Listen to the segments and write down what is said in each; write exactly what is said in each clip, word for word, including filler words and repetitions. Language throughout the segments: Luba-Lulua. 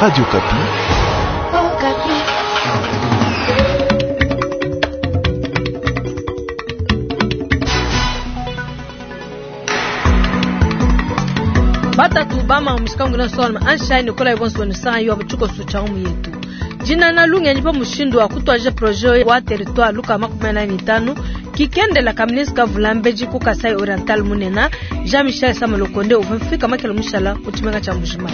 Radio Okapi. Okapi. Batatu bama mushikangu na solma anshaini kola ibonso ni saa yo buchuko sucha mu yetu. Jina na lungenyi pa mushindu wa kutwaje projet wa territoire luka makumi na mitano kikendela kaminisi kavulambeji ku Kasai Oriental munena Jean-Michel Samalokonde uvumfika makelo mushala kuchimenga cha mujima.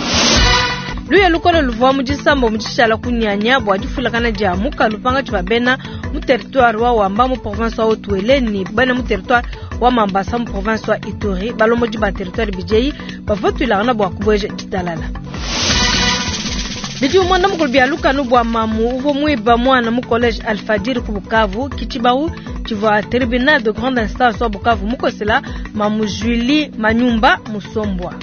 Luye lukolo luvwa mujisambo mujishala kunyanya bwa difulakana dia muka lupanga tshibabena mu territoire wa Wamba mu province wa Haut-Uele ni bana mu territoire wa Mambasa mu province wa Ituri balomoji ba territoire bijei bavotwilana bwa kubweje ditalala. Bidi umwanda mukulu bya lukanu bwa mamu uvo mwiba mwana mu college Alfajiri ku Bukavu kichibau chivwa tribunal de grande instance wa Bukavu mukosela mamu Julie Manyumba Musombwa.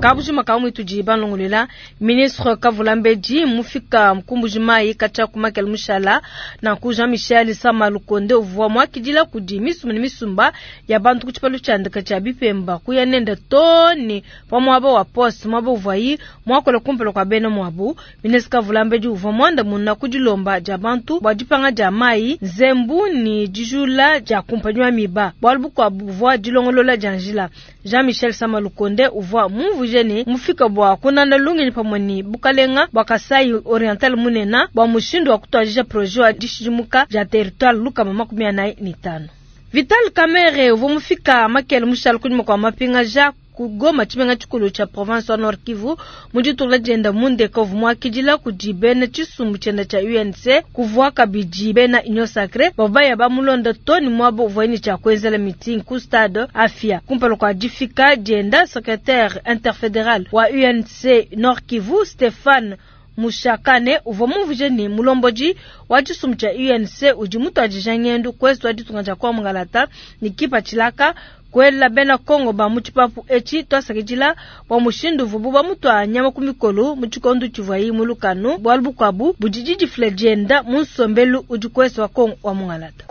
Kabujima kamwe tujiba longolela ministre Kavulambeji mufika mkumbujima kacha kumakela mushala na ku Jean Michel Samalukonde uvwa mwakidila kudi misumba ni misumba ya bantu kuchipalu chandika cha bipemba kuya nenda toni pa mwaba wa post mwaba uvwayi mwakola kumpelo kwa bena mwabu ministre Kavulambeji uvwa mwanda muna kudilomba ja bantu bwa dipanga ja mai nzembu ni dijula ja kumpanywa miba bwalu bukwa buvwa dilongolola janjila Jean Michel Samalukonde uvwa mumvu jene mufika bwa kunanda lungenyi pamwe ni bukalenga bwa Kasai Oriental munena bwa mushindu wa kutwajisha projet wa dishidimuka ja territoire lukama makumi anayi ni tano. Vital Kamerhe uvwa mufika makele mushala kunyuma kwa mapinga ja kugoma chimenga chikulu cha province wa Nord Kivu mujitula jenda mundeka uvumwakidila kudi bena chisumbu chenda cha U N C kuvwa kabidi bena Union Sacrée babaya bamulonda toni mwabo uvweni cha kwenzela meeting ku stade Afia kumpalo kwa difika jenda secrétaire interfédéral wa U N C Nord Kivu Stéphane Mushakane uvwa muvuje ni mulomboji wa chisumbu cha U N C udi mutwajija ngendu kwesu wa ditunga ja kwa mungalata ni kipa chilaka kwela bena Kongo ba muchipapu echi twasakijila bwa mushindu vubu ba mutwa nyama kumikolo muchikondu chivwayi mulukanu bwalu bukwabu budijiji flejenda munsombelu udi kwesu wa Kongo wa mungalata.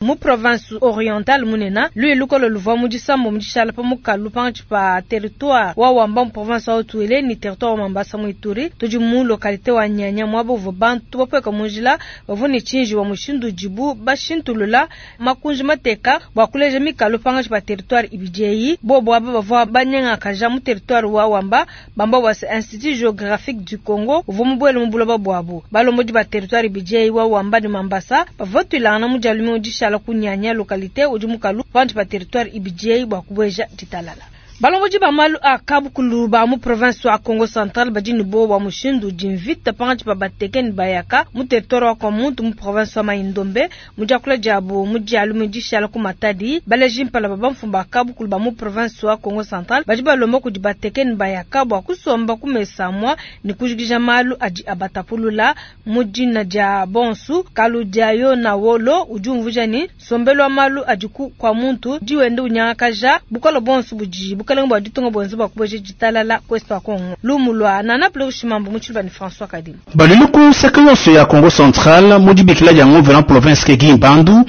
Mu province orientale munena lui lukolo luvwa mujisambo mujishala pa mukalu panchi pa territoire wa Wamba mu province wa Haut-Uele ni territoire wa Mambasa mu Ituri tudi mu localité wa Nyanya mwabo vo bantu bapweka munjila bavuni chinji wa mushindu jibu bashintulula makunji mateka bwa kuleja mikalu panchi pa territoire ibijei bobo aba bavwa banyenga kaja mu territoire wa Wamba bamba wa Institut Géographique du Congo uvo mubwele mubuloba bwabo balomodi ba territoire ibijei wa Wamba ni Mambasa bavotwilana mujalume mujishala kunyanya localité udi mukalu panchi pa territoire ibijei bwa kubweja ditalala. Balongoji ba malu a kabukulu ba mu province wa Congo Central badi ni bo wa mushindu dimvita panchi pa batekeni bayaka mu territoire wa Kwamuntu mu province wa Maindombe mu diakula diabo mu dialu mu dishala ku Matadi baleji mpala ba bamfumba kabukulu ba mu province wa Congo Central badi balomba kudi batekeni bayaka bwa kusomba kumesamwa ni kujigija malu adi abatapulula mu dina dia bonsu kalu diayo na wolo udi umvuja ni sombelo wa malu adi ku Kwamuntu diwende unyakaja bukolo bonsu budi bukalenga bwa ditunga bwenze bwa kubweje ditalala kwesu wa Kongo lumulwa nana pele ushimambo muchiluba ni François Kadima Baluluku seka yonso ya Congo Central mudibikila ya nguvena province ke Gimbandu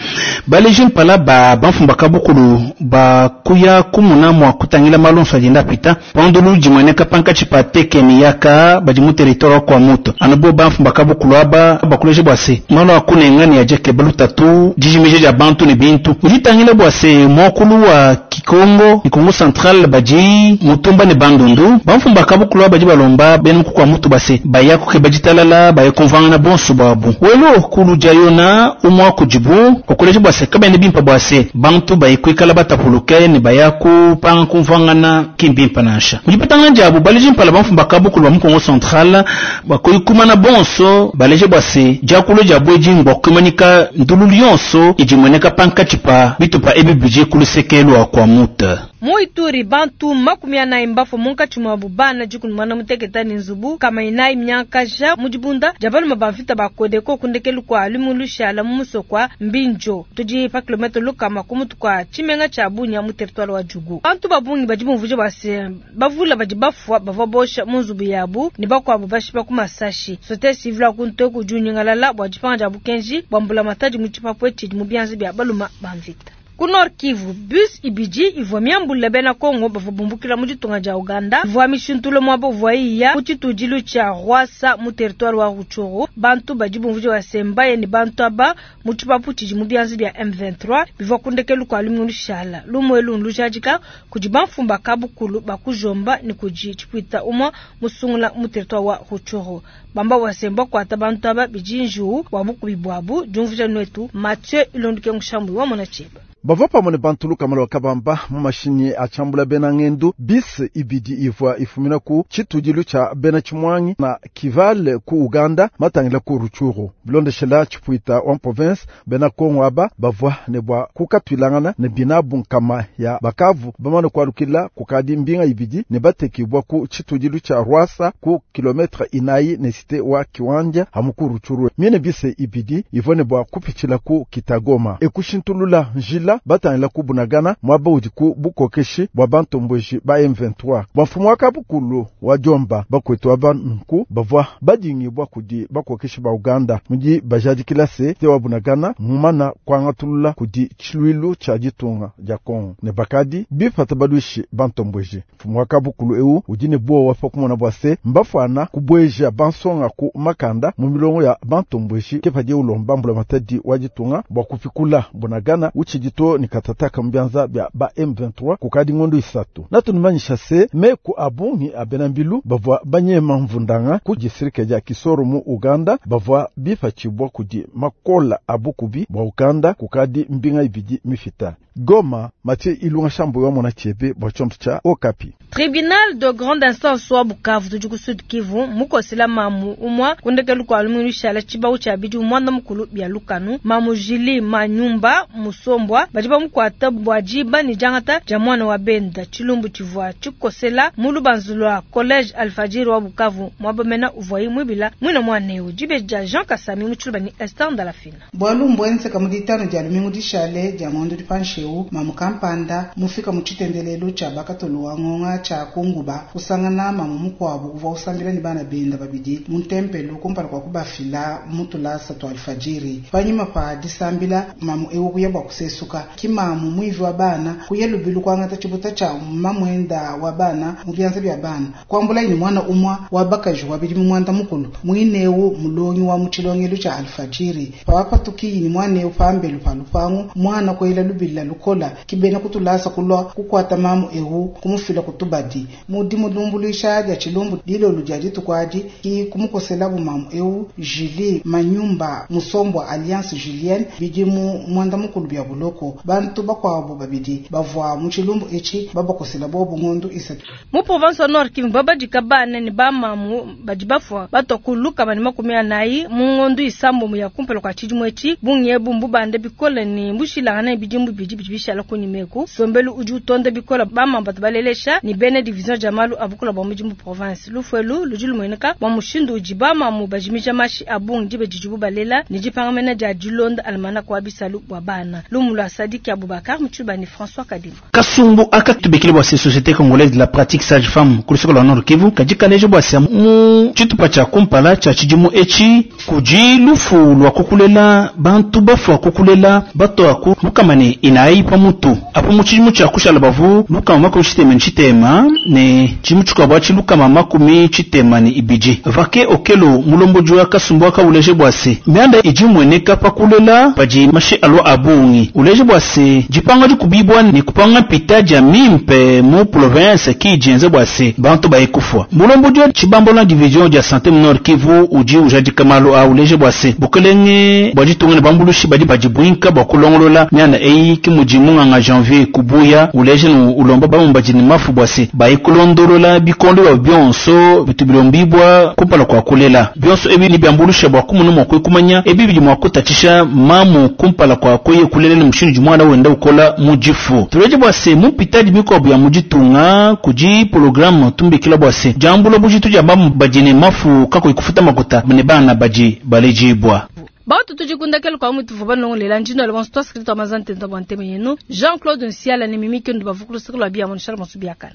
baleje mpala ba bamfumba kabukulu ba kuya kumuna mwa kutangila malonso ajenda pita pandulu jimweneka pankachi pa tekeni yaka badi mu territoire kwa muto anabo bamfumba kabukulu aba bakuleje bwase malo akunengani ya jeke balutatu jijimije ya bantu ni bintu uditangila bwase mokulu wa Kikongo ni Congo Central baji mutumba ni bandundu bamfumba kabukulu aba balomba benu kwa mutu base bayako ke bajitalala bayekonvanga na bonso babu welo kuluja yona umwa kujibu okuleje bwase kabene bimpa bwase bantu bayikwikala batapuluke ni bayaku panga kumvangana kimbimpa nasha mujipatanga njabu baleje mpala bamfumba kabukulu ba mu Congo Central bakoyikuma na bonso baleje bwase jakulo jabweji ngwa kumanika ndulu lyonso ijimweneka pankachipa bitupa ebibije kulusekelo kwa muta Mu Ituri bantu makumi anayi mbafo munkatshi mwabu bana dikumi mwana muteketa ni nzubu kama inayi myankaja mudibunda dia balume ba mvita ba Kodeko kundekelu kua lumu lushala mu musoko Mbinjo tudi pa kilometre lukama ku mutu kua tshimenga tshia Bunia mu territoire wa Djugu. Bantu ba bungi badi bumvuje base bavula badi bafua bavua bosha mu nzubu yabu ne bakuabu bashipa ku masashi. Société civile ya kunte ku junyingalala bua dipanga dia bukenji bua mbulamatadi mu tshipapu etshi mu bianza bia balume ba mvita. Ku Nord Kivu, bus ibidi ivua miambule bena Kongo bavua bumbukila mu ditunga dia Uganda ivua mishintule muaba uvuayi iya ku tshitudilu tshia Rwasa mu territoire wa Rutshuru. Bantu badi bumvuija bua se mbaye ne bantu aba mu tshipapu tshidi mu bianza bia M vingt-trois bivua ku ndekelu kua lumingu lushala. Lumu elu nlujadika kudi bamfumu ba kabukulu ba kujomba ne kudi tshipuita umue musungula mu territoire wa Rutshuru. Bamba bua se mbakuata bantu aba bidi njiwu bua bukubi buabu. Diumvuija nuetu Mathieu Ilonduke Ngushambu wa mona tshieba. Bavua pamue ne bantu lukama lua kabamba mu mashinyi a tshiambula bena ngendu bis ibidi ivua ifumina ku tshitudilu tshia bena Tshimwangi na Kivale ku Uganda matangila ku Rutshuru. Bilondeshela tshipuita wa province bena Kongo aba bavua ne bua kukatwilangana ne binabu nkama ya bakavu bamane kualukila kukadi mbinga ibidi ne batekibwa ku tshitudilu tshia Rwasa ku kilometre inayi ne cité wa Kiwanja hamu ku Rutshuru. Miene bise ibidi ivua ne bua kupitshila ku Kitagoma ekushintulula njila batangila ku Bunagana mwaba udi ku bukokeshi bwa bantomboji ba M vingt-trois. Bwa mfumu wa kabukulu wa Jomba bakwetu aba nku bavua badingibwa kudi bakokeshi ba Uganda mudi bajadikila se te wa Bunagana mumana kwangatulula kudi tshilwilu tshia ditunga dia Kongo ne bakadi bipata baluishi bantomboji. Mfumu wa kabukulu eu udi ne buowa pa kumona bwa se mbafwana kubweja bansonga ku makanda mu milongo ya bantomboji ke padi ulomba mbula matadi wa ditunga bwa kupikula Bunagana utshidi to ni katataka mbianza bya ba M vingt-trois kukadi ngondo isatu. Natunumanyisha se meku abungi abena mbilu bavua banyema mvundanga ku distrike dia Kisoro mu Uganda bavua bipatshibwa kudi makola abukubi bwa Uganda kukadi mbinga ibidi mifita. Goma, Mathieu Ilunga Shambo wa mona chebe bwa chombo cha Okapi. Tribunal de grande instance wa Bukavu tudi ku Sud Kivu mukosela mamu umwa kundekelu kwa lumingu shala tshibau tshia bidi umwanda mukulu bya lukanu mamu Jili Manyumba Musombwa badi bamukwata bwa jiba ni jangata ja mwana wa benda tshilumbu tshivua tshikosela mu lubanzu lwa collège Alfajiri wa Bukavu mwabamena uvua imwibila mwina mwaneu jibe ja Jean Kasami mu tshiluba ni Esther Ndalafina. Bwalu mbwenze kamuditano dia lumingu dishale dia ngondo dipanshewu mamu kampanda mufika mu tshitendelelu tshia bakatolo wa ngonga tshia kunguba kusangana mamu mukuabu uvua usambila ni bana benda babidi mu ntempelo kumpala kwa kubafila mutulasa twa alfajiri. Panyima pa disambila mamu ewu kuya bwa kusesuka kimamu mwivi wa bana kuya lubilu kwangata tshibuta tshia mamwenda wa bana mu bianza bya bana kwambula ni mwana umwa wa bakaji wabidi mu mwanda mukulu mwinewu mulongi wa mutshilongelo tshia alfajiri pawapatukiyi ni mwanewu pambelu pa lupangu mwana kwela lubila lukola kibena kutulasa kulwa kukwata mamu ewu kumufila kutubadi mudi mulumbuluisha dia tshilumbu dilolu dia ditukwadi ki kumukosela bumamu ewu Julie Manyumba Musombwa Alliance Julienne bidi mu mwanda mukulu bya buloko bantu bakwabo babidi bavua mu tshilumbu etshi babakosela bobu ngondu isatu. Mu province Nord Kivu babadika bana ni bamamu badi bafua batokuluka bani makumi anayi mu ngondu isambo ya kumpala kwa tshidimu etshi bunge bumbu bande bikole ni mbushilangana bidimbu bidi bidi bishala kunyimeku sombelu udi utonda bikola bamamba balelesha ni bene division jamalu abukula bwa mudimu province lufuelu ludi lumweneka bwa mushindu udi bamamu bajimija mashi abungi dibe didibu balela ni dipangamena dia dilonda almana kwa bisalu bwa bana lumu lwa Sadiki Abubakar mutshiba ni François Kadima. Kasumbu akatubikile bwa société congolaise de la pratique sage femme kulusoko lwa Nord Kivu kajikaleje bwa sia mu tshitupa tshia kumpala tshia tshidimu etshi kudi lufu lwa kukulela bantu bafua kukulela bato aku lukamane inayi pamutu apo mu tshidimu tshia kushala bavu lukama makumi tshitema ni tshitema ne tshidimu tshikuabu atshi lukama makumi tshitema ni ibidi. Vake okelo mulomboji wa kasumbu akauleje bwa se mianda idi mweneka pakulela padi mashi alwa abungi uleje bwa se dipanga dikubibwa ni kupanga pita dia mimpe mu province ki dienze bwa se bantu bayekufwa. Mulomboji wa tshibambola division dia santé mu Nord Kivu udi ujadika malu a uleje bwa se bukelenge bwa ditunga ne bambulushi badi badibwinka bwa kulongolola mianda eyi ki mudi munganga Janvier kubuya uleje nu ulomba bamumbaji ni mafu bwa se bayikulondolola bikondo bya byonso bitubilombibwa kumpala kwa kulela byonso ebi ni byambulusha bwa kumunu mwa kwekumanya ebi bidi mwa kutatisha mamu kumpala kwa koye kulela ni mushindu jumwana wenda ukola mujifu. Tuleje bwa se mupitadi mikobo ya mujitunga kuji programu tumbikila bwa se jambulo bujitu ja mamu bajine mafu kako ikufuta makuta ne bana baji balejibwa. Bautu tujikundakelo kwa mutu vuba nongolela njino le bonso twaskrito amazante ndo bwanteme yenu Jean-Claude Nsiala ne Mimi Kendo bavukulu sikolo bia monshar mosubiakana.